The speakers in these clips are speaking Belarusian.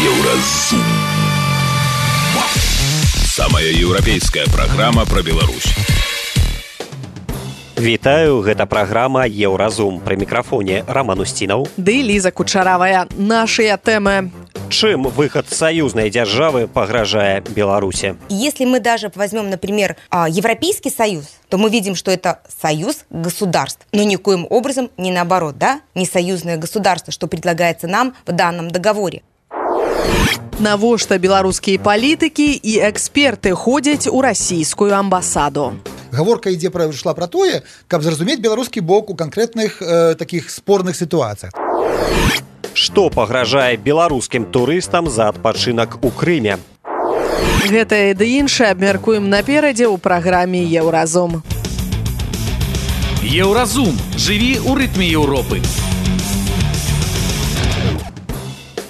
Еўразум. Самая еўрапейская праграма пра Беларусь. Вітаю, гэта праграма «Еўразум». Пры мікрафоне Роман Устінаў. Ды Ліза Кучаравая. Нашыя тэмы. Чем выход союзной державы погрожает Беларуси? Если мы даже возьмем, например, Европейский Союз, то мы видим, что это союз государств, но никоим образом не наоборот, да? Не союзное государство, что предлагается нам в данном договоре. Навошта беларускія палітыкі і эксперты ходзяць у расійскую амбасаду? Гаворка шла про тое, каб зразумець беларускі бок у канкрэтных таких спорных сітуацыях. Што пагражае беларускім турыстам за адпачынак у Крыме? Гэтае ды іншае абмяркуем наперадзе ў праграме «Еўразум». Еўразум. Жыві ў рытме Еўропы.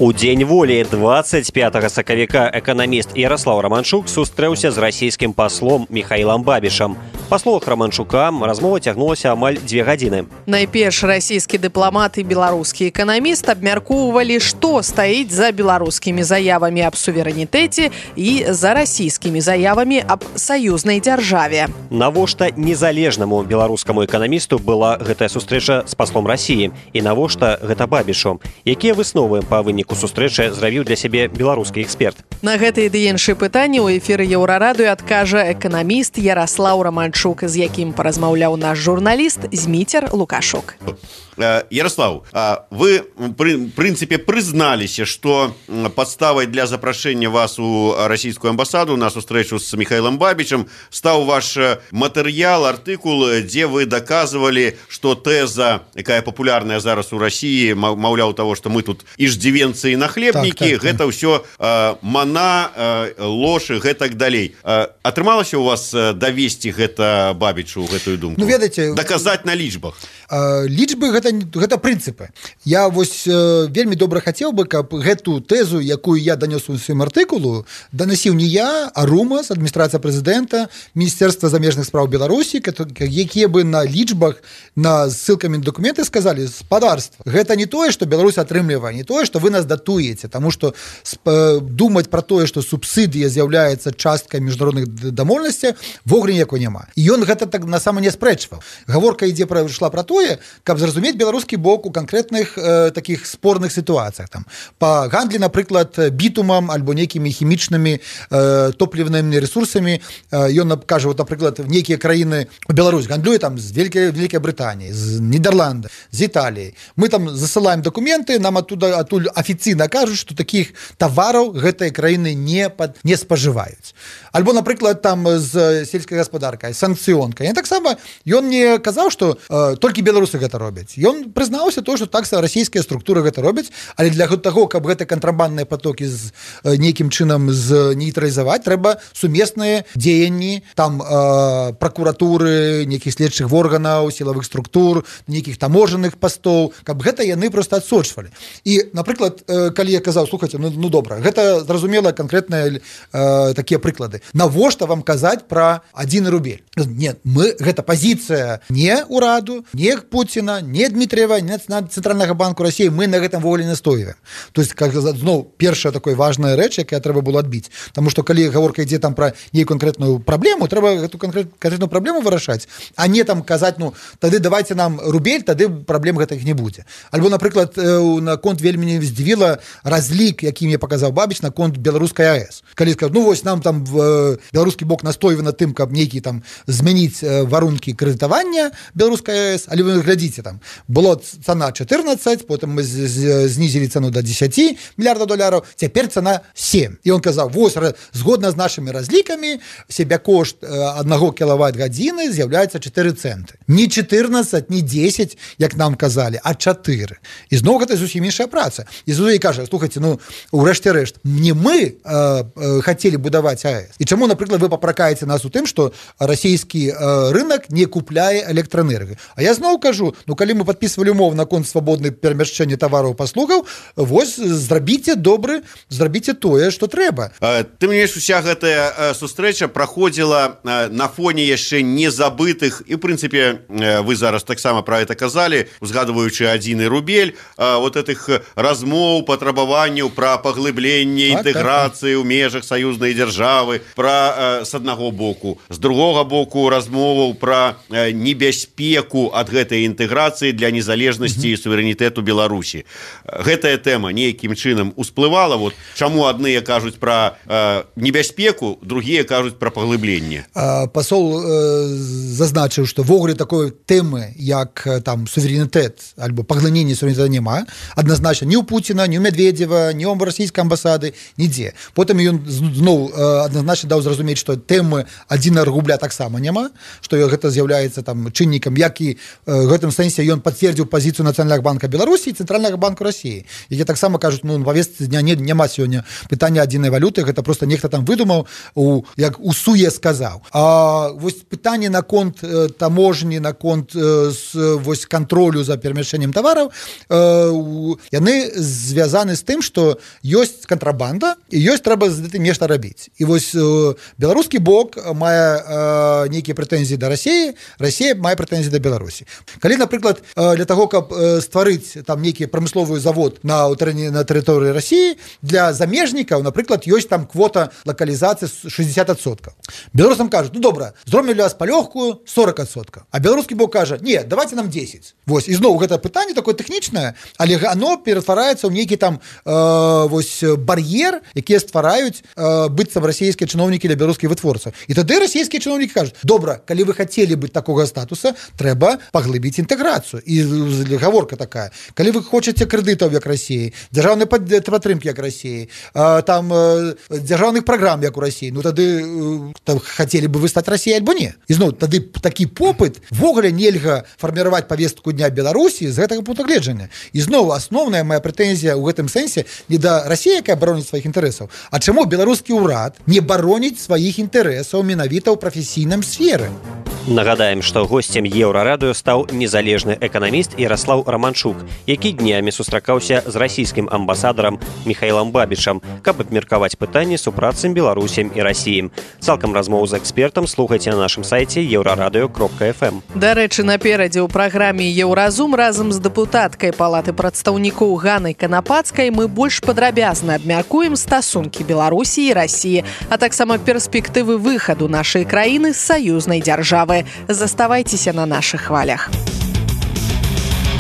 У дзень волі 25 сакавіка эканаміст Ярослаў Романчук сустрэўся з расійскім паслом Михаилом Бабішам. Па словах Романчука, размова цягнулася амаль 2 гадзіны. Найперш расійскі дыпламат і беларускі эканаміст абмяркоўвалі, што стаіць за беларускімі заявамі аб суверэнітэце і за расійскімі заявамі аб саюзнай дзяржаве. Навошта незалежнаму беларускаму эканамісту была гэтая сустрэча з паслом Расіі і навошта гэта Бабішу? Якія высновы па выніку сустрэчы зрабіў для сябе беларускі эксперт? На гэтыя ды іншыя пытанні ў эфіры Еўрарадыё адкажа эканаміст Ярослаў Романчук, з якім паразмаўляў наш журналіст Зміцер Лукашук. Ярослав, вы, в принципе, призналіся, что подставой для запрошения вас у российскую амбассаду на встречу с Михаилом Бабичем стал ваш материал, артикул, где вы доказывали, что теза, якая популярная зараз у России, маўляў того, что мы тут иждивенцы и нахлебники, так. Это все мана, ложь и гэтак далей. Атрымалася у вас довести гэта Бабичу, гэтую думку? Ну, ведаеце, доказать на лічбах? Лічбы гэта прынцыпы. Я вось вельмі добра хацеў бы, каб гэту тэзу, якую я данёс у сваім артыкулу, данасіў не я, а РУМАС, адміністрацыя прэзідэнта, Міністэрства замежных спраў Беларусі, якія бы на лічбах, на ссылкамі на дакументы сказалі: спадарства, гэта не тое, што Беларусь атрымлівае, не тое, што вы нас датуеце, таму што думаць пра тое, што субсідыя з'яўляецца часткай міжнародных дамоўленасцяў, вогуле ніякой няма. І ён гэта так насама не спрэчваў. Гаворка шла пра тое, каб зразумець беларускі бок у канкрэтных таких спорных сітуацыях. Там па гандлі, напрыклад, бітумам альбо нейкімі хімічнымі топлівнымі ресурсамі. Ён кажа, вот, напрыклад, нейкія краіны, Беларусь гандлюе там з Великай Брытаніі, з Нідерланда, з Італіі. Мы там засылаем дакументы, нам адтуль афіцыйна кажуць, што такіх тавараў гэтыя краіны не спажываюць. Альбо, напрыклад, там з сельскай гаспадаркай, санкцыёнкай. І таксама ён не казаў, што толькі беларусы гэта робяць. Ён прызнаўся то, што так расійскія структуры гэта робяць, але для таго, каб гэта кантрабандныя потокі з нейкім чынам нейтралізаваць, трэба сумесныя дзеянні, там пракуратуры, нейкіх следчых органаў, сілавых структур, нейкіх таможанных пастоў, каб гэта яны проста адсочвалі. І, напрыклад, калі я казаў: слухайце, ну добра, гэта зразумела канкрэтныя такія прыклады. Навошта вам казаць пра 1 рубель? Не, гэта пазіцыя не ўраду, не Путіна, не Дмітриева, не Цэнтральнага банку Расіі, мы на гэтым вогуле настойваем. То есть, зноў, першая такая важная рэч, якая трэба было адбіць. Таму што калі гаворка ідзе там пра нейкую канкрэтную праблему, трэба гэту канкрэтную праблему вырашаць, а не там казаць: ну, тады давайте нам рубель, тады праблем гэтых не будзе. Альбо, напрыклад, на конт вельмі не здзівіла разлік, які мне паказаў Бабіч на конт беларускай АЭС. Калі сказаць: ну вось нам там беларускі бок настойвае на тым, каб нейкі там змяніць варункі крэдытавання беларускай АЭС, але вы глядзіце, там было цана 14, потым мы знізілі цану до 10 мільярдаў долараў, цяпер цана 7. І он казаў: вось, згодна з нашымі разлікамі, себякошт 1 кілават-гадзіны з'яўляецца 4 цэнты. Не 14, не 10, як нам казалі, а 4. І зноў гэта зусім іншая праца. І зноў кажа: слухайце, ну, урэшце рэшт, не мы хацелі будаваць АЭС. І чаму, напрыклад, вы папракаеце нас у тым, што расійскія расійскі рынок не купляе электраэнергію. А я зноў кажу, калі мы падпісвалі умову наконт свабоднай перамяшчэння тавараў паслугаў, вось зрабіце тое, што трэба. Ты менш, уся гэтая сустрэча праходзіла на фоне яшчэ незабытых, і, в прынцыпе, вы зараз таксама пра гэта казалі, узгадваючы адзіны рубель, вот этих размоў, патрабаванняў пра паглыбленне інтэграцыі ў межах саюзнай дзяржавы, пра з аднаго боку, з другога боку размоваў пра небяспеку ад гэтай інтэграцыі для незалежнасці і суверэнітэту Беларусі. Гэтая тэма нейкім чынам усплывала, вот чаму адныя кажуць пра небяспеку, другія кажуць пра паглыбленне. Пасол зазначыў, што ввогуле такой тэмы, як там суверэнітэт альбо паглыненне суверэнітэта няма, адназначна ні ў Пуціна, ні ў Медведзева, ні ў расійскай амбасады, нідзе. Потым ён зноў адназначна даў зразумець, што тэмы адзінага рубля таксама няма, што гэта з'яўляецца там чыннікам, як і в гэтым сэнсе ён пацвердзіў пазіцыю Нацыянальнага банка Беларусі і Цэнтральнага банку Расіі. Які таксама кажуць, на павестцы дня няма сёння пытання адзінай валюты, гэта проста нехта там выдумаў, як усуе сказаў. А вось пытанне наконт таможні, наконт вось кантролю за перамяшчэннем тавараў, яны звязаны з тым, што ёсць кантрабанда і ёсць трэба з гэтым нешта рабіць. І вось беларускі бок мае нейкія прэтэнзіі да Расіі, Расія мае прэтэнзіі да Беларусі. Калі, напрыклад, для таго, каб стварыць там нейкі прамысловы завод на тэрыторыі Расіі, для замежнікаў, напрыклад, ёсць там квота лакалізацыі 60%. Беларусам кажуць, добра, зробім для вас палёгкую 40%. А беларускі бок кажа, не, давайте нам 10. Вось, і зноў гэта пытанне такое тэхнічнае, але оно ператвараецца ў нейкі там вось бар'ер, якія ствараюць быццам расійскія чыноўнікі для беларускіх вытворцаў. І тады расійскія чыноўнікі кажуць, добра, калі вы хацелі быць такога статуса, трэба паглыбіць інтэграцыю. І гаворка такая, калі вы хочаце крэдытаў як Расіі, дзяржаўнай падтрымкі як Расіі, там дзяржаўных праграм як у Расіі, тады хацелі бы вы стаць Расіяй альбо не. І зноў, тады такі попыт ввогуле нельга фарміраваць павестку дня Беларусі з гэтага пункту гледжання. І зноў, асноўная моя прэтэнзія ў гэтым сэнсе не да Расіі, якая бароніць сваіх інтарэсаў, а чаму беларускі ўрад не бароніць сваіх інтарэсаў менавіта ў прафесійным сферы. Нагадаем, што госцем Еўрарадыё стаў незалежны эканаміст Яраслаў Раманчук, які днямі сустракаўся з расійскім амбасадарам Михаілам Бабічам, каб абмеркаваць пытанні супрацам Беларусем і Расіім. Цалкам размову з экспертам слухайце на нашым сайце euraradыё.fm. Дарэчы, наперадзе ў праграме «Еўразум» разам з дэпутаткай Палаты прадстаўнікоў Ганнай Канапацкай мы больш падрабязна абмяркуем стасункі Беларусі і Расіі, а таксама перспектывы выхаду нашай краіны з саюзнай дзяржавы. Заставайцеся на нашых хвалях.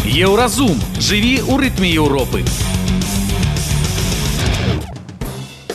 Еўразум. Жыві ў рытме Еўропы.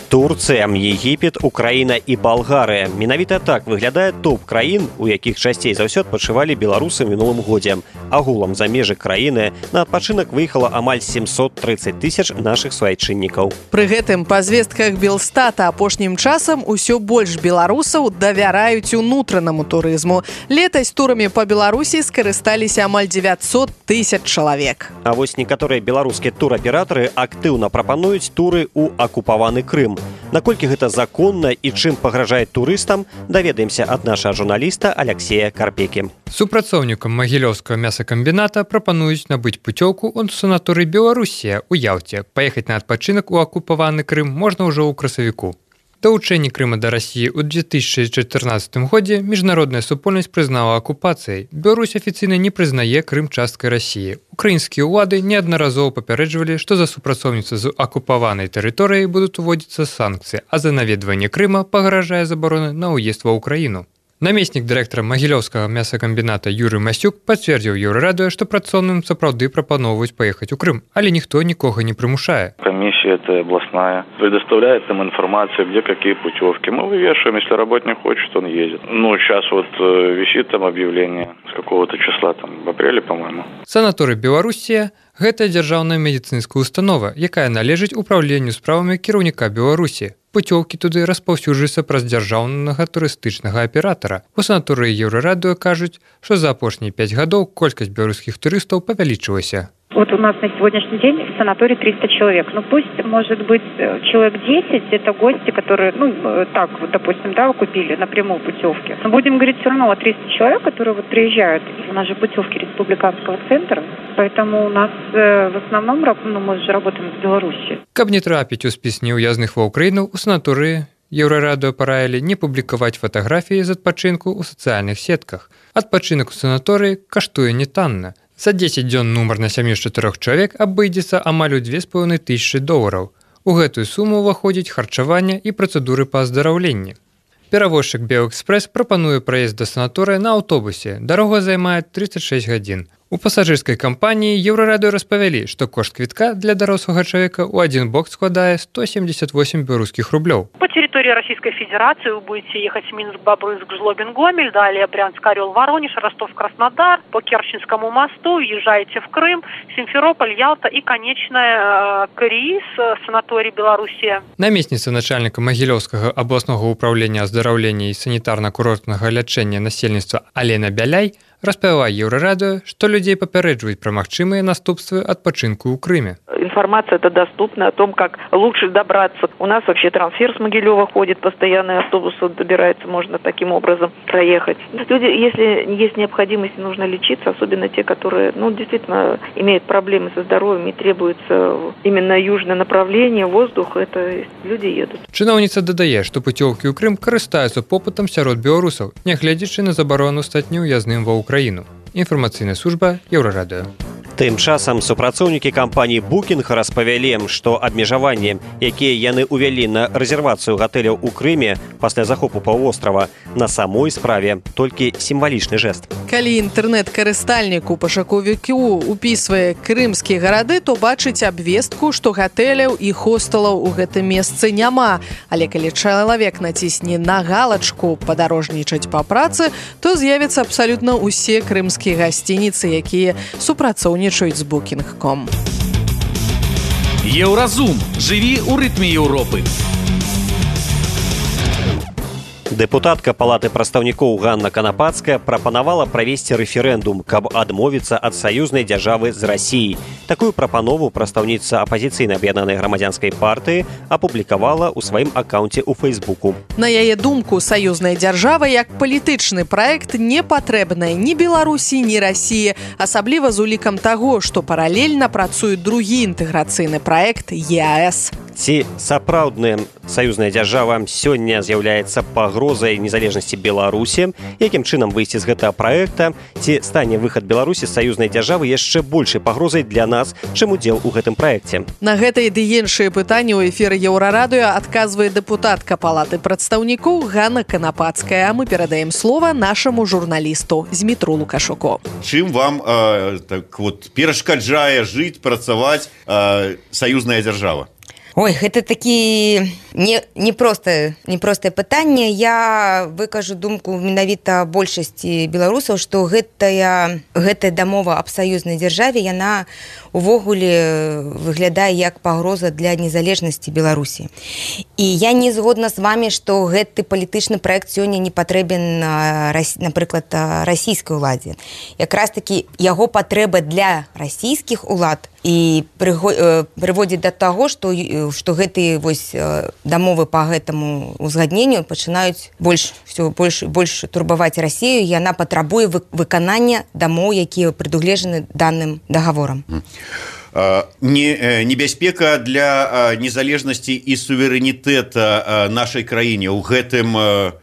Турцыя, Егіпет, Украіна і Балгарыя. Менавіта так выглядае топ краін, у якіх часцей за ўсё адпачывалі беларусы ў мінулым годзе. Агулам за межы краіны на адпачынак выехала амаль 730 тысяч нашых суайчыннікаў. Пры гэтым па звестках Белстата апошнім часам усё больш беларусаў давяраюць унутранаму турызму. Летась турамі па Беларусі скарысталіся амаль 900 тысяч чалавек. А вось некаторыя беларускія тураператары актыўна прапануюць туры ў акупаваны Крым. Наколькі гэта законна і чым пагражае турыстам, даведаемся ад нашага журналіста Аляксея Карпекі. Супрацоўнікам Магілёўскага мясакамбіната прапануюць набыць пуцёўку ў санаторый Беларусія ў Ялце. Паехаць на адпачынак у акупаваны Крым можна ўжо ў красавіку. Далучэнне Крыма да Расіі ў 2014 годзе міжнародная супольнасць прызнала акупацыяй. Беларусь афіцыйна не прызнае Крым часткай Расіі. Украінскія ўлады неаднаразова папярэджвалі, што за супрацоўніцтва з акупаванай тэрыторыяй будуць уводзіцца санкцыі, а за наведванне Крыма пагражае забарона на ўезд ва ўкраіну. Намеснік дырэктара Магілёўскага мясакамбіната Юрый Масюк пацвердзіў Еўрарадыё, што працоўным сапраўды прапаноўваюць паехаць у Крым, але ніхто нікога не прымушае. Комиссия эта областная предоставляет нам информацию, где какие путевки. Мы вывешиваем, если работник хочет, он едет. Сейчас вот висит там объявление с какого-то числа, там в апреле, по-моему. Санаторый Беларусія – гэта дзяржаўная медыцынская установа, якая належыць управленню справамі кіраўніка Беларусі. Пуцёўкі туды распаўсюджваюцца праз дзяржаўнага турыстычнага аператара. У санаторыі Еўрарадыё кажуць, што за апошнія 5 гадоў колькасць беларускіх турыстаў павялічылася. Вот у нас на сегодняшний день в санатории 300 человек. Ну, пусть, может быть, человек 10 – это гости, которые, так вот, допустим, купили напрямую путевки. Но будем говорить все равно о 300 человек, которые вот приезжают. У нас же путевки республиканского центра, поэтому у нас в основном, мы же работаем в Беларуси. Каб не трапіць у спіс неуязных ва Ўкраіну, у санаторыі Еўрарадыё параілі не публікаваць фатаграфіі з адпачынку ў сацыяльных сетках. Адпачынак у санаторыі каштуе нетанна. За 10 дзён нумар на сям'ю з 4 чалавек абыдзецца амаль у $2500. У гэтую суму ўваходзіць харчаванне і працэдуры па аздараўленні. Перавозчык «Беэкспрэс» прапануе праезд да санаторыя на аўтобусе. Дарога займае 36 гадзін. У пасажырскай кампаніі Еўрарадыё распавялі, што кошт квітка для дарослага чалавека ў адзін бок складае 178 беларускіх рублёў. По территории Российской Федерации вы будете ехать в Минск, Бобруйск, Жлобин, Гомель, далее Брянск, Орел, Воронеж, Ростов, Краснодар, по Керченскому мосту, езжаете в Крым, Симферополь, Ялта и конечная Кореис, санаторий Белоруссия. Намесніца начальніка Магілёўскага абласнога ўправлення аздараўлення і санітарна-курортнага лячэння насельніцтва Алена Бяляй распавяла Еўрарадыё, што людзей папярэджваюць пра магчымыя наступствы адпачынку ў Крыме. Информация это доступна о том, как лучше добраться. У нас вообще трансфер с Могилева ходит, постоянный автобус добирается, можно таким образом проехать. Люди, если есть необходимость, нужно лечиться, особенно те, которые, действительно имеют проблемы со здоровьем и требуется именно южное направление, воздух, это люди едут. Чыноўніца дадае, што путёўкі ў Крым карыстаюцца попытам сярод беларусаў, нягледзячы на забарону стаць неўязным ва Украіну. Інфармацыйная служба Еўрарадыё. Тым часам супрацоўнікі кампаніі «Букінг» распавялі, што абмежаванні, якія яны ўвялі на рэзервацыю гатэляў у Крыме пасля захопу паўвострава, на самой справе толькі сімвалічны жэст. Калі інтэрнэт-карыстальнік у пашукавіку упісвае крымскія гарады, то бачыць абвестку, што гатэляў і хостэлаў у гэтым месцы няма. Але калі чалавек націсне на галачку «Падарожнічаць па працы», то з'явяцца абсалютна ўсе крымскія гасцініцы, якія супрацоўнічаюць з Booking.com. Еўразум. Жыві ў рытме Еўропы. Дэпутатка Палаты прадстаўнікоў Ганна Канапацкая прапанавала правесці рэферэндум, каб адмовіцца ад саюзнай дзяржавы з Расіяй. Такую прапанову прадстаўніца апазіцыйнай аб'яднанай грамадзянскай партыі апублікавала ў сваім акаунце ў Фэйсбуку. На яе думку, саюзная дзяржава як палітычны праект не патрэбная ні Беларусі, ні Расіі, асабліва з улікам таго, што паралельна працуе другі інтэграцыйны праект ЕАЭС. Ці сапраўдная саюзная дзяржава сёння з'яўляецца пагрозай незалежнасці Беларусі? Якім чынам выйсці з гэтага праекта? Ці стане выхад Беларусі з саюзнай дзяржавы яшчэ большай пагрозай для нас, чым удзел у гэтым праекце? На гэтыя ды іншыя пытанні ў эфіры Еўрарадыё адказвае дэпутатка Палаты прадстаўнікоў Ганна Канапацкая. А мы перадаем слова нашаму журналісту Змітру Лукашуку. Чым вам перашкаджае жыць, працаваць саюзная дзяржава? Ой, гэта такі непростае пытанне. Я выкажу думку менавіта большасці беларусаў, што гэтая дамова аб саюзнай дзяржаве, яна увогуле выглядае як пагроза для незалежнасці Беларусі. І я не згодна з вамі, што гэты палітычны праект сёння не патрэбен, напрыклад, расійскай уладзе. Якраз такі яго патрэба для расійскіх улад і прыводзіць да таго, што гэтыя дамовы па гэтаму узгадненню пачынаюць больш турбаваць Расію, і яна патрабуе выканання дамоў, якія прадугледжаны данным дагаворам. Небяспека для незалежнасці і суверэнітэта нашай краіне ў гэтым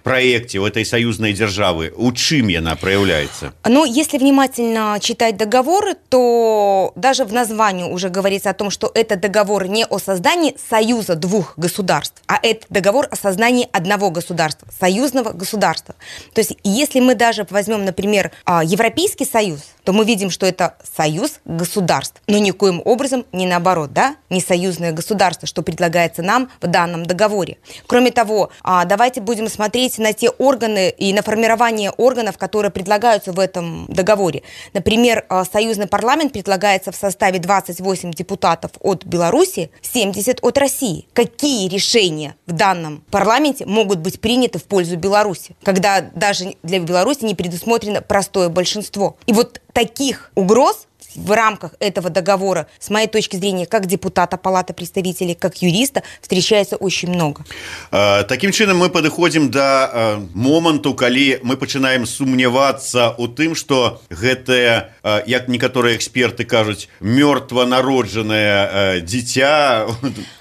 праекце, у этой саюзнай дзяржавы, у чым яна проявляется? Если внимательно читать договоры, то даже в названии уже говорится о том, что это договор не о создании союза двух государств, а это договор о создании одного государства, союзного государства. То есть, если мы даже возьмем, например, Европейский союз, то мы видим, что это союз государств, но никоим образом не наоборот, не союзное государство, что предлагается нам в данном договоре. Кроме того, давайте будем смотреть на те органы и на формирование органов, которые предлагаются в этом договоре. Например, союзный парламент предлагается в составе 28 депутатов от Беларуси, 70 от России. Какие решения в данном парламенте могут быть приняты в пользу Беларуси, когда даже для Беларуси не предусмотрено простое большинство? И вот таких угроз в рамках этого договора, с моей точки зрения, как депутата Палаты представителей, как юриста, встречается очень много. Таким чынам мы падыходзім да моманту, калі мы пачынаем сумнявацца ў тым, што гэтае, як некаторыя эксперты кажуць, мёртва народжанае дзіця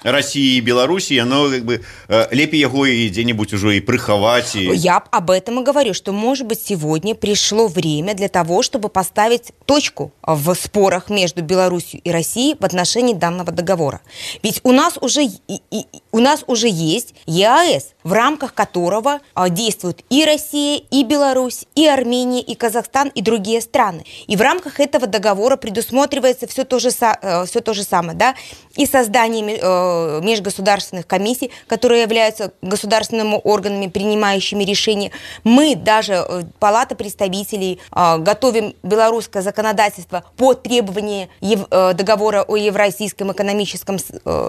России и Беларуси, оно как бы лепей его и где-нибудь уже и приховать. Я об этом и говорю, что, может быть, сегодня пришло время для того, чтобы поставить точку в спорах между Беларусью и Россией в отношении данного договора. Ведь у нас уже есть ЕАЭС, в рамках которого действуют и Россия, и Беларусь, и Армения, и Казахстан, и другие страны. И в рамках этого договора предусматривается все то же самое, да, и создание межгосударственных комиссий, которые являются государственными органами, принимающими решения. Мы даже, Палата представителей, готовим белорусское законодательство по требованию договора о Евразийском экономическом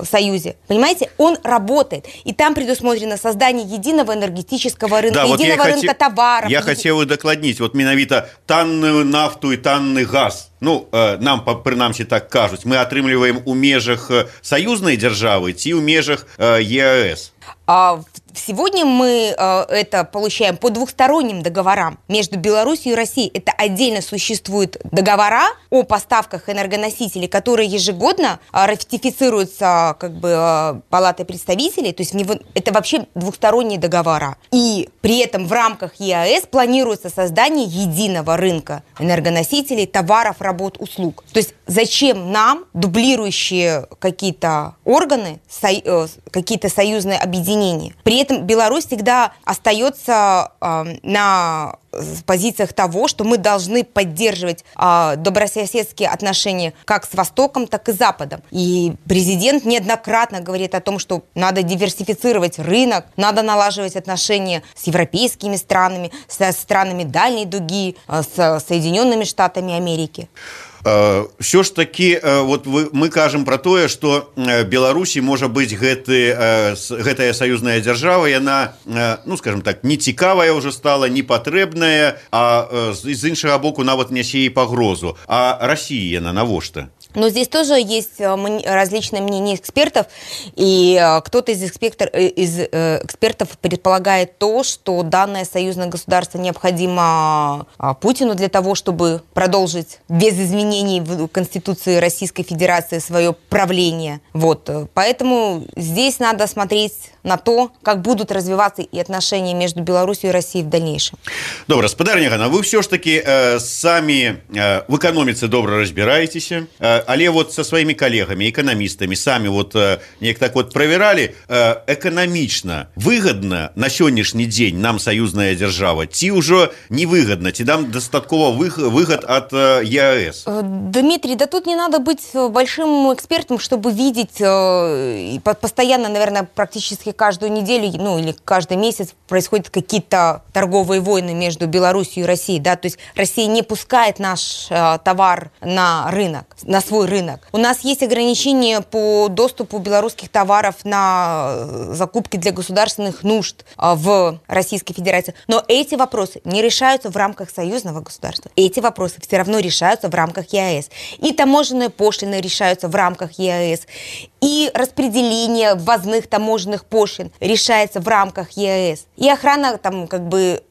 союзе. Понимаете, он работает. И там предусмотрено создание единого энергетического рынка, да, единого рынка товаров. Я хотел удокладнить, вот менавіта танную нафту и танный газ. Ну, нам, прынамсі, так кажуць, мы атрымліваем у межах саюзнай дзяржавы ці ў межах ЕАЭС. Сегодня мы это получаем по двухсторонним договорам между Беларусью и Россией. Это отдельно существуют договора о поставках энергоносителей, которые ежегодно ратифицируются как бы Палатой представителей. То есть это вообще двухсторонние договора. И при этом в рамках ЕАЭС планируется создание единого рынка энергоносителей, товаров, работ, услуг. То есть зачем нам дублирующие какие-то органы, какие-то союзные объединения? При этом Беларусь всегда остается на позициях того, что мы должны поддерживать добрососедские отношения как с Востоком, так и с Западом. И президент неоднократно говорит о том, что надо диверсифицировать рынок, надо налаживать отношения с европейскими странами, со странами дальней дуги, с Соединенными Штатами Америки. Все ж таки, вот мы кажем про тое, что Беларусі можа быць гэтая саюзная дзяржава, яна, ну скажем так, не цікавая уже стала, не патрэбная, а з іншага боку нават нясе і пагрозу. А Россия яна навошта? Но здесь тоже есть различные мнения экспертов, и кто-то из экспертов предполагает то, что данное союзное государство необходимо Путину для того, чтобы продолжить без изменений в Конституции Российской Федерации свое правление. Вот. Поэтому здесь надо смотреть на то, как будут развиваться и отношения между Беларусью и Россией в дальнейшем. Добра, спадарня Ганна, вы все ж таки сами в экономицы добра разбираетесь, але вот со своими коллегами, экономистами, сами вот неяк так вот проверали, экономично выгодно на сённяшні дзень нам союзная держава, ці уже невыгодно, ці нам достатково выгод от ЕАЭС? Дмитрий, да тут не надо быть большим экспертом, чтобы видеть постоянно, наверное, практически каждую неделю, ну или каждый месяц происходят какие-то торговые войны между Беларусью и Россией, да, то есть Россия не пускает наш товар на рынок, на свой рынок. У нас есть ограничения по доступу белорусских товаров на закупки для государственных нужд в Российской Федерации. Но эти вопросы не решаются в рамках союзного государства. Эти вопросы все равно решаются в рамках ЕАЭС. И таможенные пошлины решаются в рамках ЕАЭС. И распределение ввозных таможенных пошлин решается в рамках ЕАЭС. И охрана там, как бы,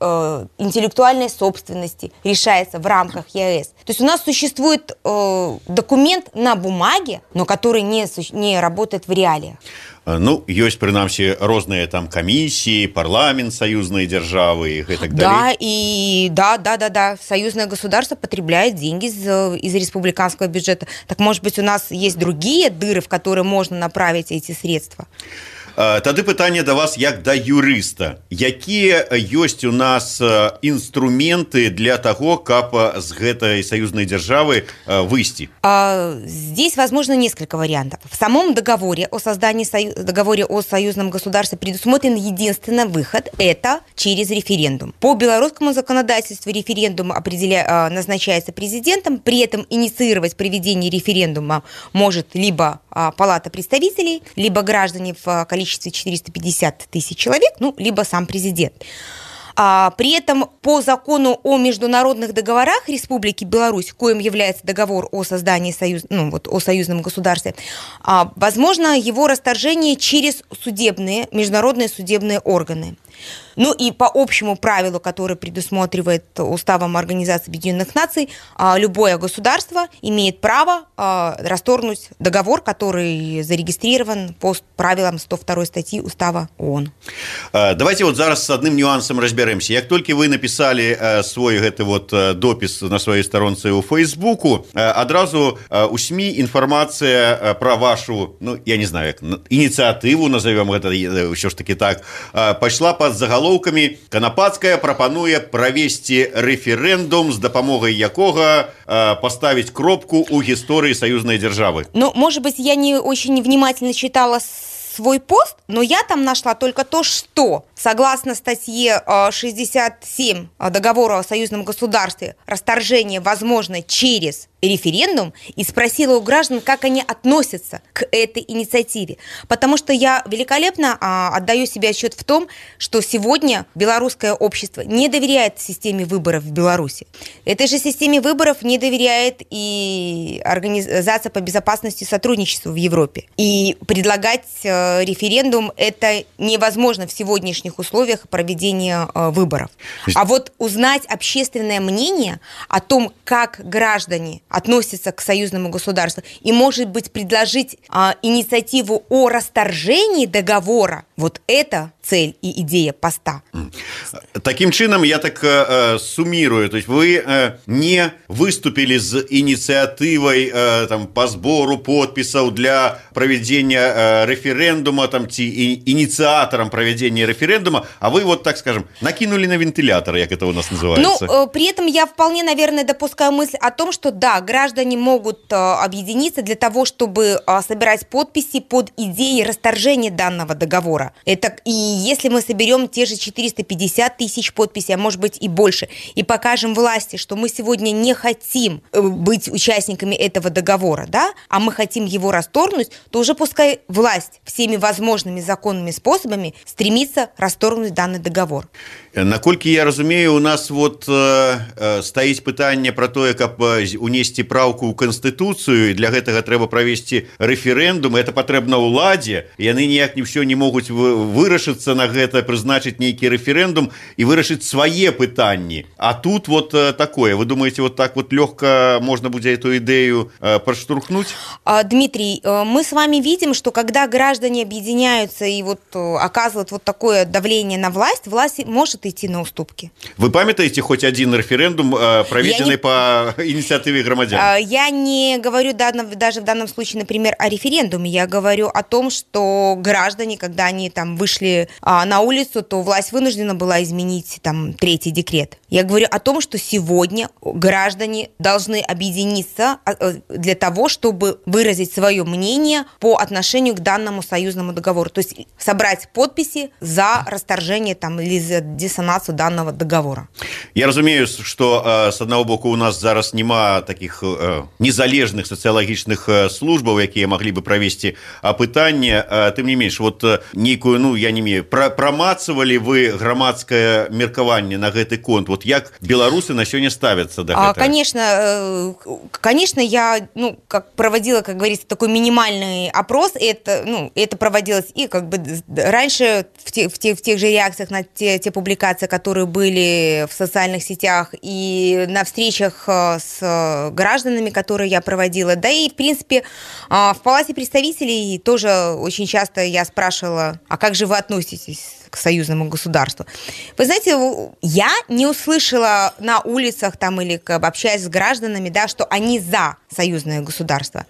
интеллектуальной собственности решается в рамках ЕАЭС. То есть у нас существует документ на бумаге, но который не работает в реалиях. Ну, ёсць, прынамсі, розныя там камісіі, парламент союзной державы и так далее. Да. Союзное государство потребляет деньги из республиканского бюджета. Так, может быть, у нас есть другие дыры, в которые можно направить эти средства? Тады пытанне да вас як да юрыста. Якія ёсць у нас инструменты для того, каб з гэтай союзной державы выйсці? Здесь возможно несколько вариантов. В самом договоре о создании договоре о союзном государстве предусмотрен единственный выход – это через референдум. По белорусскому законодательству референдум назначается президентом, при этом инициировать проведение референдума может либо Палата представителей, либо граждане в количестве 450 тысяч человек, ну, либо сам президент. При этом по закону о международных договорах Республики Беларусь, коим является договор о создании о союзном государстве, возможно его расторжение через международные судебные органы. Ну и по общему правилу, который предусматривает Уставом Организации Объединенных Наций, любое государство имеет право расторгнуть договор, который зарегистрирован по правилам 102 статьи Устава ООН. Давайте вот зараз с одним нюансом разберемся. Как только вы написали свой допис на своей сторонце у Фейсбуку, одразу у СМИ информация про вашу, я не знаю, инициативу, назовем это еще ж таки так, пошла под заголовками «Канапацкая прапануе провести референдум, с допомогой якога поставить кропку у истории союзной державы». Может быть, я не очень внимательно читала свой пост, но я там нашла только то, что согласно статье 67 договора о союзном государстве расторжение возможно через референдум, и спросила у граждан, как они относятся к этой инициативе. Потому что я великолепно отдаю себе отчет в том, что сегодня белорусское общество не доверяет системе выборов в Беларуси. Этой же системе выборов не доверяет и Организация по безопасности и сотрудничеству в Европе. И предлагать референдум это невозможно в сегодняшних условиях проведения выборов. А вот узнать общественное мнение о том, как граждане относятся к союзному государству, и, может быть, предложить инициативу о расторжении договора, вот это цель и идея поста. Таким чином, я так суммирую, то есть вы не выступили с инициативой по сбору подписов для проведения референдума, инициатором проведения референдума, а вы так скажем, накинули на вентилятор, как это у нас называется. При этом я вполне, наверное, допускаю мысль о том, что да, граждане могут объединиться для того, чтобы собирать подписи под идеей расторжения данного договора. И если мы соберем те же 450 тысяч подписей, а может быть и больше, и покажем власти, что мы сегодня не хотим быть участниками этого договора, а мы хотим его расторгнуть, то уже пускай власть всеми возможными законными способами стремится расторгнуть данный договор. Наколькі я разумею, у нас стаіць пытанне про тое, каб унесці праўку ў Канстытуцыю, і для гэтага трэба правесці рэферэндум, это патрэбна ўладзе, яны ніяк не ўсё не могуць вырашыцца на гэта, прызначыць нейкі рэферэндум і вырашыць свае пытанні. А тут такое. Вы думаете, так лёгка можно будзе эту идею проштурхнуть? Дмитрий, мы с вами видим, что когда граждане объединяются и оказывают такое давление на власть может идти на уступки. Вы памятаете хоть один референдум, проведенный по инициативе громадян? Я не говорю даже в данном случае, например, о референдуме. Я говорю о том, что граждане, когда они вышли на улицу, то власть вынуждена была изменить третий декрет. Я говорю о том, что сегодня граждане должны объединиться для того, чтобы выразить свое мнение по отношению к данному союзному договору. То есть собрать подписи за расторжение или за диссонацию данного договора. Я разумею, что с одного боку у нас зараз нема таких незалежных социологических службаў, якія могли бы провести опытание. Тым не менш, некую, я не имею, промацывали вы громадское меркаванне на гэты конт? Як белорусы на сёння ставятся до гэтага? Конечно, я проводила, как говорится, такой минимальный опрос. Это проводилось и раньше в тех же реакциях на те публикации, которые были в социальных сетях, и на встречах с гражданами, которые я проводила. Да и, в принципе, в Палате представителей тоже очень часто я спрашивала, а как же вы относитесь к союзному государству? Вы знаете, я не услышала на улицах или общаясь с гражданами, что они за союзное государство.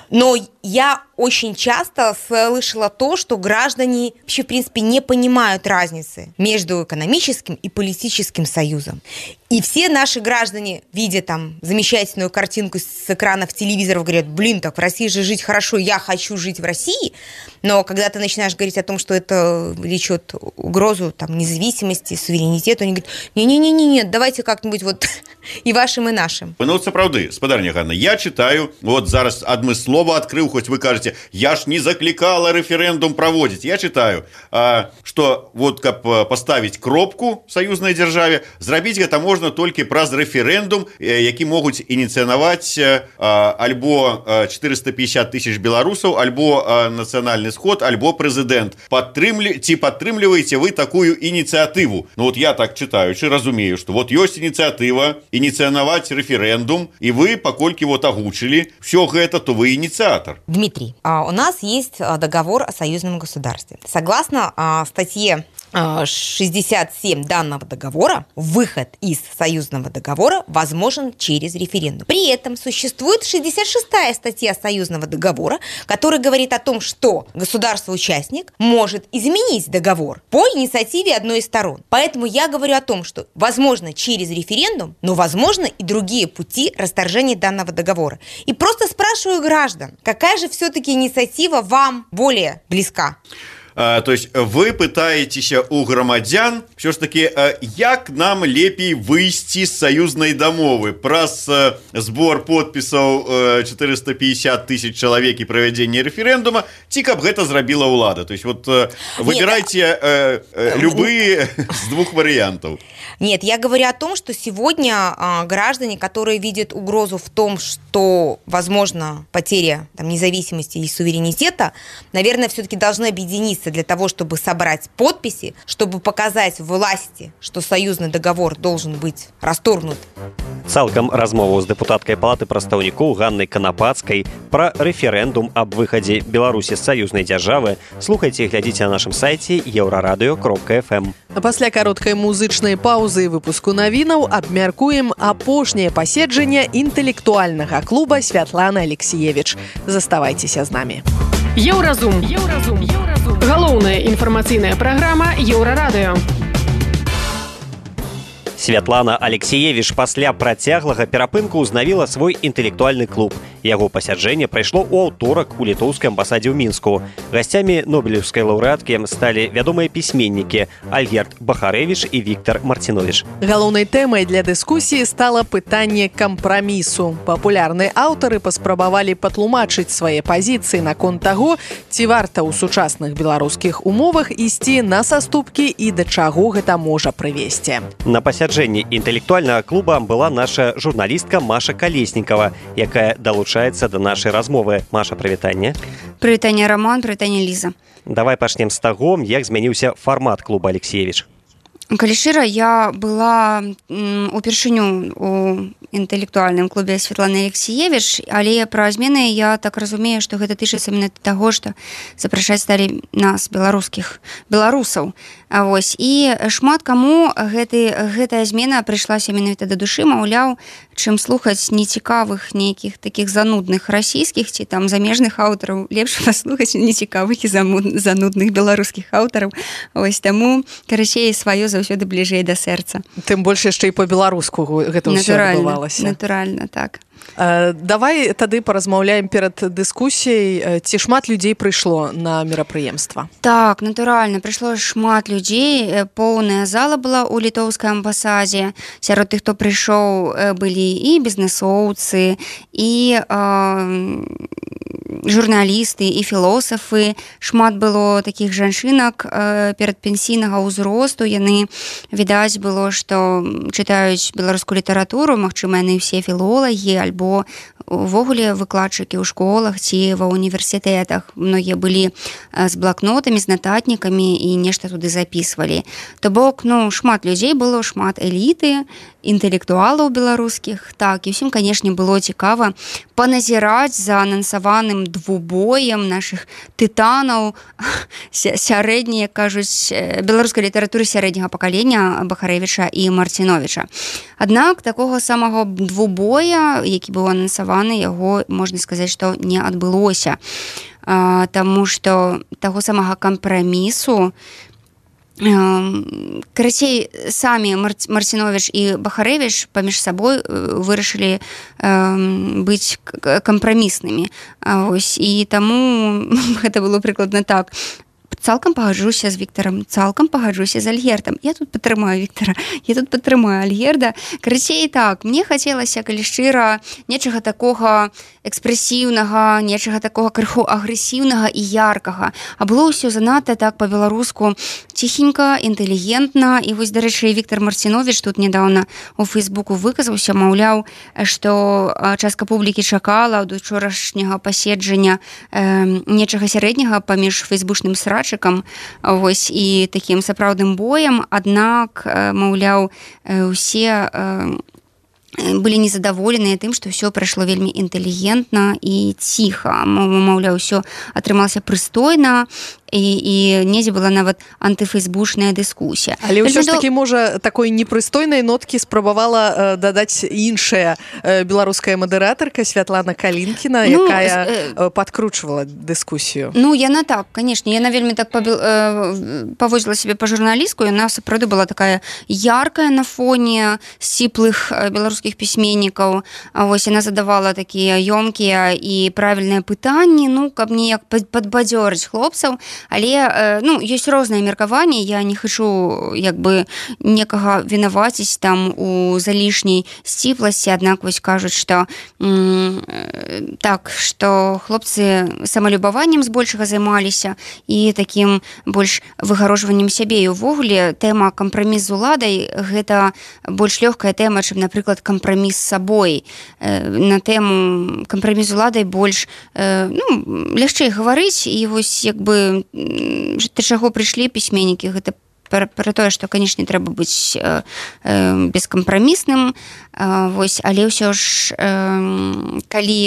Но я очень часто слышала то, что граждане вообще, в принципе, не понимают разницы между экономическим и политическим союзом. И все наши граждане, видя там замечательную картинку с экранов телевизоров, говорят, блин, так в России же жить хорошо, я хочу жить в России. Но когда ты начинаешь говорить о том, что это влечет угрозу там, независимости, суверенитету, они говорят, не-не-не, давайте как-нибудь вот и вашим, и нашим. Ну, вот сапраўды, спадарня Ганна, я читаю, вот зараз адмыслова открыл, хоть вы кажете, я ж не закликала референдум проводить. Я читаю, что вот как поставить кропку в союзной державе, зрабіць гэта можна толькі праз рэферэндум, які могуць ініцыянаваць альбо 450 тысяч беларусаў, альбо нацыянальны сход, альбо прэзідэнт. Ці падтрымліваеце вы такую ініцыятыву? Ну вот я так читаючы разумею, что вот ёсць ініцыятыва ініцыянаваць рэферэндум, и вы, паколькі вот агучылі все гэта, то вы инициатор. Дмитрий, у нас есть договор о союзном государстве. Согласно статье 67 данного договора, выход из союзного договора возможен через референдум. При этом существует 66-я статья союзного договора, которая говорит о том, что государство-участник может изменить договор по инициативе одной из сторон. Поэтому я говорю о том, что возможно через референдум, но возможно и другие пути расторжения данного договора. И просто спрашиваю граждан, какая же все-таки инициатива вам более близка? То есть вы пытаетеся у грамадзян все ж таки, як нам лепей выйсці з саюзнай дамовы праз збор подпісаў 450 тысяч чалавек і правядзенне рэферэндума, ці каб гэта зрабіла ўлада. То есть вот выбирайте любые с двух вариантов. Нет, я говорю о том, что сегодня граждане, которые видят угрозу в том, что возможно потеря там, независимости и суверенитета, наверное, все-таки должны объединиться для того, чтобы собрать подписи, чтобы показать власти, что союзный договор должен быть расторгнут. Цалкам размову з дэпутаткай палаты прадстаўнікоў Ганнай Канапацкай пра рэферэндум аб выхадзе Беларусі з саюзнай дзяржавы слухайце і глядзіце на нашым сайце еўрарадыё.фм. А пасля кароткай музычнай паўзы і выпуску навінаў абмяркуем апошняе паседжанне інтэлектуальнага клуба Святланы Алексіевіч. Заставайцеся з намі. Еўразум. Галоўная інфармацыйная праграма Еўрарадыё. Святлана Алексіевіч пасля працяглага перапынку ўзнавіла свой інтэлектуальны клуб. Яго пасяджэнне прайшло ў аўторак у літоўскай амбасадзе ў Мінску. Гасцямі нобелеўскай лаўрэаткі сталі вядомыя пісьменнікі Альгерд Бахарэвіч і Віктар Марціновіч. Галоўнай тэмай для дыскусіі стала пытанне кампрамісу. Папулярныя аўтары паспрабавалі патлумачыць свае пазіцыі наконт таго, ці варта ў сучасных беларускіх умовах ісці на саступкі і да чаго гэта можа прывесці. На пасяджэнні інтэлектуальнага клуба была наша журналістка Маша Калеснікава, якая далучаецца да нашай размовы. Маша, прывітанне. Прывітанне, Роман, прывітанне, Ліза. Давай пачнем з таго, як змяніўся фармат клуба Алексіевіч. Калі шчыра, я была упершыню у інтэлектуальным клубе Святланы Алексіевіч, але пра змены я так разумею, што гэта тычыцца менавіта таго, што запрашаць сталі нас, беларусаў. Вось. І шмат каму гэтая змена прыйшлася менавіта да душы, маўляў, чым слухаць нецікавых нейкіх такіх занудных расійскіх ці там замежных аўтараў, лепш паслухаць нецікавых і занудных беларускіх аўтараў. Вось таму, карацей, сваё заўсёды бліжэй да сэрца. Тым больш яшчэ і па-беларуску гэта ўсё адбывалася. Натуральна, так. Давай тады паразмаўляем перад дыскусіяй, ці шмат людзей прыйшло на мерапрыемства. Так, натуральна, прыйшло шмат людзей, поўная зала была ў літоўскай амбасадзе. Сярод тых, хто прыйшоў, былі і бізнэсоўцы, і журналісты, і філосафы. Шмат было такіх жанчынак перадпенсійнага ўзросту. Яны, відаць, было, што чытаюць беларускую літаратуру, магчыма, яны ўсе філолагі, альбо увогуле выкладчыкі ў школах ці ва універсітэтах. Многія былі з блакнотамі, з нататнікамі і нешта туды запісвалі. То бок, шмат людзей было, шмат эліты, інтэлектуалаў беларускіх. Так, і ўсім, канешне, было цікава паназіраць за анансаваным двубоем нашых тытанаў сярэдняй, кажуць, беларускай літаратуры сярэдняга пакалення Бахарэвіча і Марціновіча. Аднак такога самага двубоя, які быў анансаваны, яго, можна сказаць, што не адбылося. Таму што таго самага кампрамісу Карацей, самі Марціновіч і Бахарэвіч паміж сабой вырашылі быць кампраміснымі. І таму гэта было прыкладна так. Цалкам пагаджуся з Віктарам, цалкам пагаджуся з Альгердам. Я тут падтрымаю Віктара, я тут падтрымаю Альгерда. Карацей, так, мне хацелася, калі шчыра, нечага такога экспрэсіўнага, нечага такога крыху агрэсіўнага і яркага. А было ўсё занадта так па-беларуску ціхенька, інтэлігентна. І вось, дарэчы, Віктар Марціновіч тут нядаўна у Фейсбуку выказаўся, маўляў, што частка публікі чакала ад учорашняга паседжання нечага сярэдняга паміж фейсбучным срачыкам, вось, і такім сапраўдным боем, аднак, маўляў, усе былі незадаволеныя тым, што ўсё прайшло вельмі інтэлігентна і ціха. Маўляў, ўсё атрымалася прыстойна, і недзе была нават антыфейсбучная дыскусія. Але ўсё ж такі, можа, такой непрыстойнай ноткі спрабавала дадаць іншая беларуская мадэратарка Святлана Калінкіна, якая падкручвала дыскусію. Ну, яна так, канешне, яна вельмі так паводзіла сябе па-журналістку, яна сапраўды была такая яркая на фоне сціплых беларускіх пісьменнікаў. Вось, яна задавала такія ёмкія і правільныя пытанні, ну, каб неяк падбадзёрыць хлопцаў. Але, ну, ёсць розныя меркаванні, я не хачу, як бы, некага вінаваціць там у залішняй сціпласці, аднак вось кажуць, што так, што хлопцы самалюбаваннем збольшага займаліся і такім больш выгароджваннем сябе. І ўвогуле тэма кампраміс з уладай гэта больш лёгкая тэма, чым, напрыклад, кампраміс з сабой. На тэму кампраміс з уладай больш, ну, лягчэй гаварыць, і вось, як бы, да чаго прыйшлі пісьменнікі, гэта пра тое, што, канешне, трэба быць бескампрамісным, вось, але ўсё ж, калі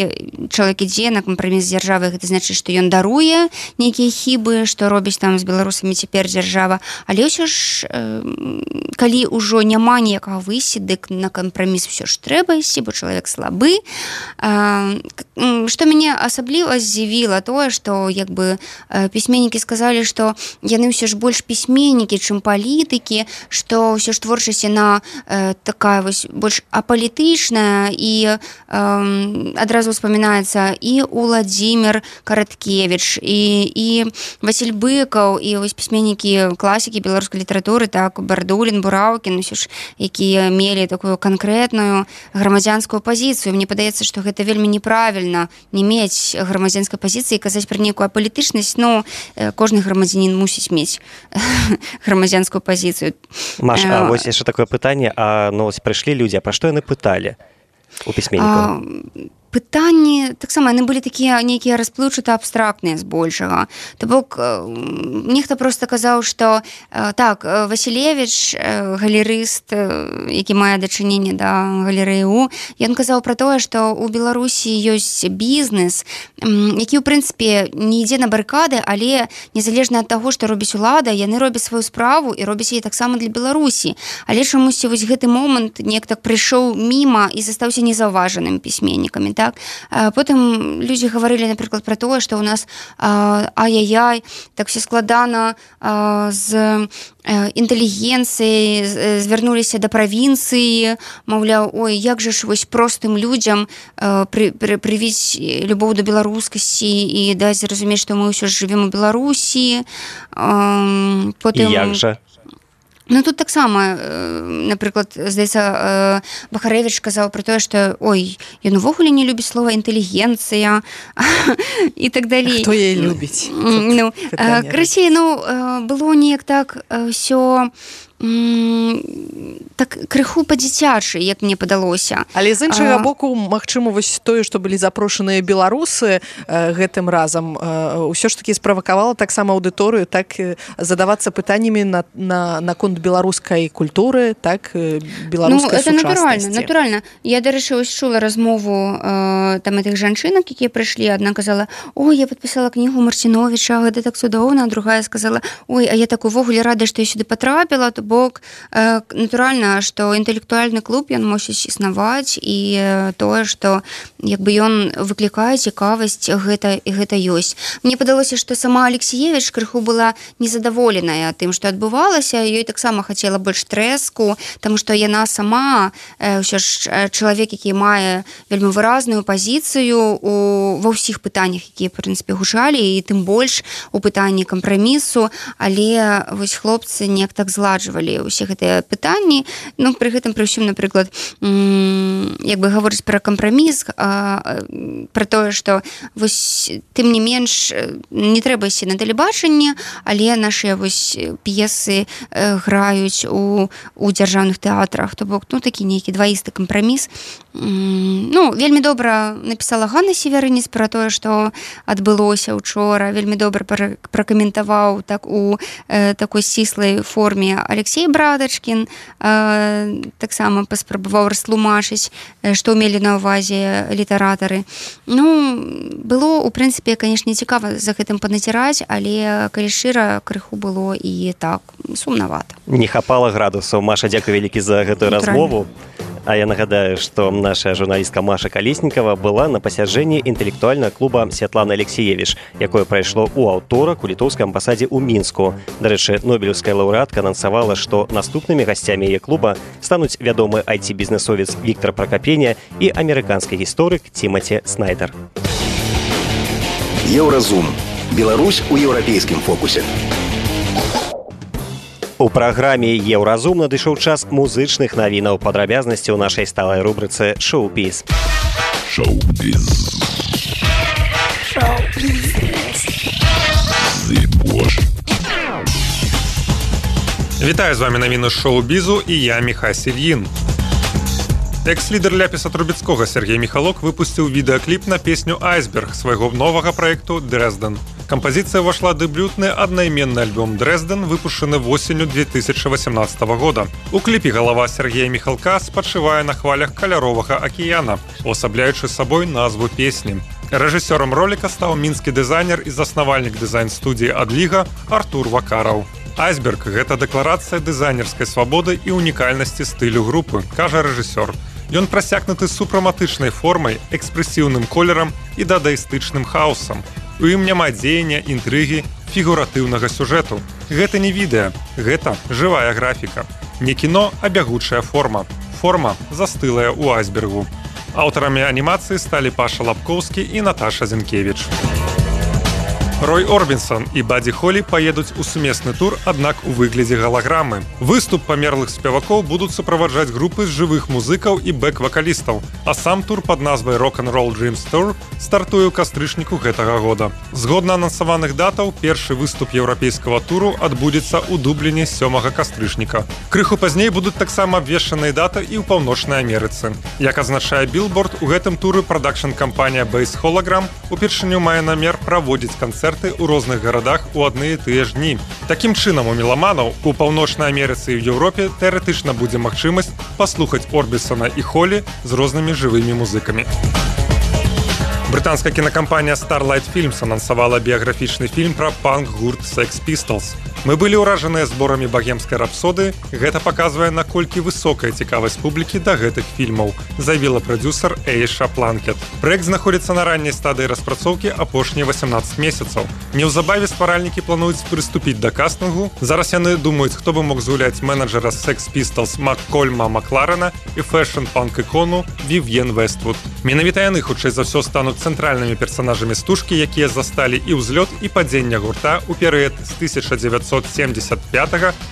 чалавек ідзе на кампраміс з дзяржавай, гэта значыць, што ён даруе нейкія хібы, што робіць там з беларусамі цяпер дзяржава, але ўсё ж, калі ўжо няма ніякага выйсця, дык на кампраміс ўсё ж трэба ісці, бо чалавек слабы. Што мяне асабліва здзівіла тое, што, як бы, пісьменнікі сказалі, што яны ўсё ж больш пісьменнікі, чым палітыкі, што ўсё ж творчасць яна такая вось больш апалітычная, і адразу ўспамінаецца і Уладзімір Караткевіч, і Васіль Быкаў, і вось пісьменнікі класікі беларускай літаратуры, так, Бардулін, Бураўкін, усё ж, якія мелі такую канкрэтную грамадзянскую пазіцыю. Мне падаецца, што гэта вельмі неправільна не мець грамадзянскай пазіцыі і казаць пра нейкую апалітычнасць, но кожны грамадзянін мусіць мець грамадзянскую пазіцыю. Маша, а вось яшчэ такое пытанне, ну, прыйшлі людзі, а пра што яны пыталі у пісьменнікаў? Пытанні таксама яны былі такія нейкія расплыўчата абстрактныя збольшага. То бок нехта проста казаў, што так, Васілевіч, галерыст, які мае дачыненне да галерэі У, ён казаў пра тое, што ў Беларусі ёсць бізнес, які ў прынцыпе не ідзе на барыкады, але незалежна ад таго, што робіць улада, яны робяць сваю справу і робяць яе таксама для Беларусі. Але чамусьці вось гэты момант неяк так прыйшоў міма і застаўся незаўважаным пісьменнікамі. Так? Потым людзі гаварылі, напрыклад, пра тое, што ў нас ай-яй-яй, так все складана з інтэлігенцыяй, звярнуліся да правінцыі, маўляў, ой, як жа ж вось простым людзям прывіць любоў да беларускасці і даць зразумець, што мы ўсё ж жывем у Беларусі. Потым... І як жа? Ну, тут таксама, напрыклад, здаецца, Бахарэвіч казаў пра тое, што, ой, ён увогуле не любіць слова інтэлігенцыя і так далей. Хто яе любіць? Ну, красей, ну, было неяк так ўсё так крыху па-дзіцячы, як мне падалося. Але з іншага боку, магчыма, вось тое, што былі запрошаныя беларусы гэтым разам, ўсё ж такі справакавала таксама аўдыторыю, так задавацца пытаннямі наконт беларускай культуры, так, беларускай сучаснасці. Ну, натуральна. Я, дарэчы, ось чула размову там гэтых жанчынак, якія прыйшлі. Адна казала, ой, я падпісала кнігу Марціновіча, гэта так цудоўна, а другая сказала, ой, а я так увогуле рада, што я сюды патрапіла, то бок натуральна, што інтэлектуальны клуб ён мусіць існаваць і тое, што як бы ён выклікае цікавасць, гэта ёсць. Мне падалося, што сама Алексіевіч крыху была незадаволеная тым, што адбывалася, ёй таксама хацела больш трэску, таму што яна сама ўсё ж чалавек, які мае вельмі выразную пазіцыю ва ўсіх пытаннях, якія, в прынцыпе, гучалі, і тым больш у пытанні кампрамісу, але вось хлопцы неяк так зладжвалі ўсе гэтыя пытанні. Ну, пры гэтым, пры ўсім, напрыклад, як бы гаворыць пра кампраміс, пра тое, што вось тым не менш не трэба ісці на тэлебачанне, але нашыя вось п'есы граюць у дзяржаўных тэатрах, то бок, ну, такі нейкі дваісты кампраміс. Ну, вельмі добра напісала Ганна Северыніц пра тое, што адбылося учора, вельмі добра пракаментаваў так у такой сціслай форме Алексей Брадачкін, таксама паспрабаваў растлумачыць, што мелі на ўвазе літаратары. Ну, было, у прынцыпе, канешне, цікава за гэтым паназіраць, але, калі шчыра, крыху было і так сумнавата. Не хапала градусаў. Маша, дзякуй вялікі за гэтую размову. А я нагадаю, што наша журналістка Маша Калеснікава была на пасяджэнні інтэлектуальнага клуба Святланы Алексіевіч, якое прайшло ў аўторак у літоўскай амбасадзе ў Мінску. Дарэчы, нобелеўская лаўрэатка анансавала, што наступнымі гасцямі яе клуба стануць вядомы IT-бізнесовец Віктор Пракапеня і амерыканскі гісторык Тімаці Снайдер. Еўразум. Беларусь у еўрапейскім фокусе. У праграме «Еўразум» надышоў час музычных навінаў, падрабязнасці ў нашай сталай рубрыцы «Шоу-біз». Шоу-біз. Вітаю, з вами навіны шоу-бізу і я, Міха Сільін. Экс-лідер Ляпіса Трубецкога Сергей Михалок выпусціў відэакліп на песню «Айсберг» свайго новага праекту «Дрэзден». Кампазіцыя ўвайшла дэбютны аднайменны альбом «Дрэзден», выпушчаны восенню 2018 года. У кліпе галава Сергея Михалка спачывае на хвалях каляровага акіяна, уасабляючы сабой назву песні. Рэжысёрам роліка стаў мінскі дызайнер і заснавальнік дызайн-студіі «Адліга» Артур Вакараў. «Айсберг» – гэта дэкларацыя дызайнерскай свабоды і унікальнасці стылю групы, кажа рэжысёр. Ён прасякнуты супраматычнай формай, экспрэсіўным колерам і дадаістычным хаосам. У ім няма дзеяння, інтрыгі, фігуратыўнага сюжэту. Гэта не відэа, гэта жывая графіка. Не кіно, а бягучая форма. Форма застылая ў «Айсбергу». Аўтарамі анімацыі сталі Паша Лапкоўскі і Наташа Зінкевіч. Рой Орбінсон і Бадзі Холі паедуць у сумесны тур, аднак у выглядзе галаграмы. Выступ памерлых спевакоў будуць суправаджаць групы з жывых музыкаў і бэк-вакалістаў, а сам тур пад назвай «Rock'n'Roll Dreams Tour» стартуе ў кастрычніку гэтага года. Згодна анансаваных датаў, першы выступ еўрапейскага туру адбудзецца ў Дубліне 7 кастрычніка. Крыху пазней будуць таксама абвешчаныя даты і ў Паўночнай Амерыцы. Як азначае Billboard, у гэтым туры прадакшн-кампанія Base Hologram упершыню мае намер праводзіць канцэрты у розных гарадах у адны і тыя ж дні. Такім чынам у меламанаў у Паўночнай Амерыцы і ў Еўропе тэарэтычна будзе магчымасць паслухаць Орбісона і Холі з рознымі жывымі музыкамі. Брытанская кінакампанія Starlight Films анансавала біяграфічны фільм пра панк-гурт Sex Pistols. Мы былі ўражаныя зборамі багемскай рапсоды. Гэта паказвае, наколькі высокая цікавасць публікі да гэтых фільмаў, заявіла прадзюсар Эйша Планкет. Праект знаходзіцца на ранняй стадыі распрацоўкі апошнія 18 месяцаў. Неўзабаве стваральнікі плануюць прыступіць да кастынгу. Зараз яны думаюць, хто бы мог згуляць менеджера Sex Pistols Маккольма Макларена і фэшн-панк-ікону Вівьен Вествуд. Менавіта яны, хутчэй за ўсё, стануць цэнтральнымі персанажамі стужкі, якія засталі і ўзлёт, і падзення гурта ў перыяд з 1975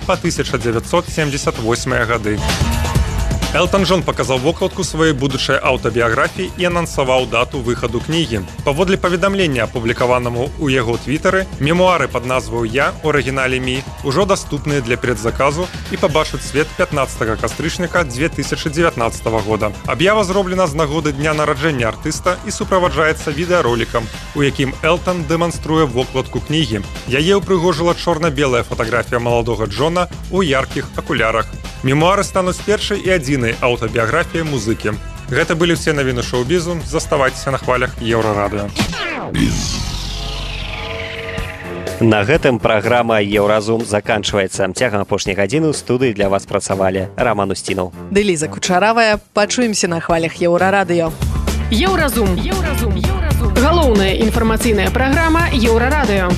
па 1978 гады. Элтон Джон паказаў вокладку сваёй будучай аўтабіяграфіі і анансаваў дату выхаду кнігі. Паводле паведамлення, апублікаванаму ў яго твітары, мемуары пад назваю «Я» у арыгінале «Мі» ужо даступныя для предзаказу і пабачаць свет 15 кастрычніка 2019 года. Аб'ява зроблена з нагоды дня нараджэння артыста і суправаджаецца відэаролікам, у якім Элтон дэманструе вокладку кнігі. Яе ўпрыгожыла чорна-белая фатаграфія маладога Джона ў яркіх акулярах. Мемуары стануць першай і адзінай аўтабіяграфіяй музыкі. Гэта былі ўсе навіны шоу-бізу. Заставайцеся на хвалях Еўрарадыё. На гэтым праграма «Еўразум» заканчваецца. Цягам апошняй гадзіны ў студыі для вас працавалі Роман Устінаў. Ды Ліза Кучаравая. Пачуемся на хвалях Еўрарадыё. Еўразум. Галоўная інфармацыйная праграма Еўрарадыё.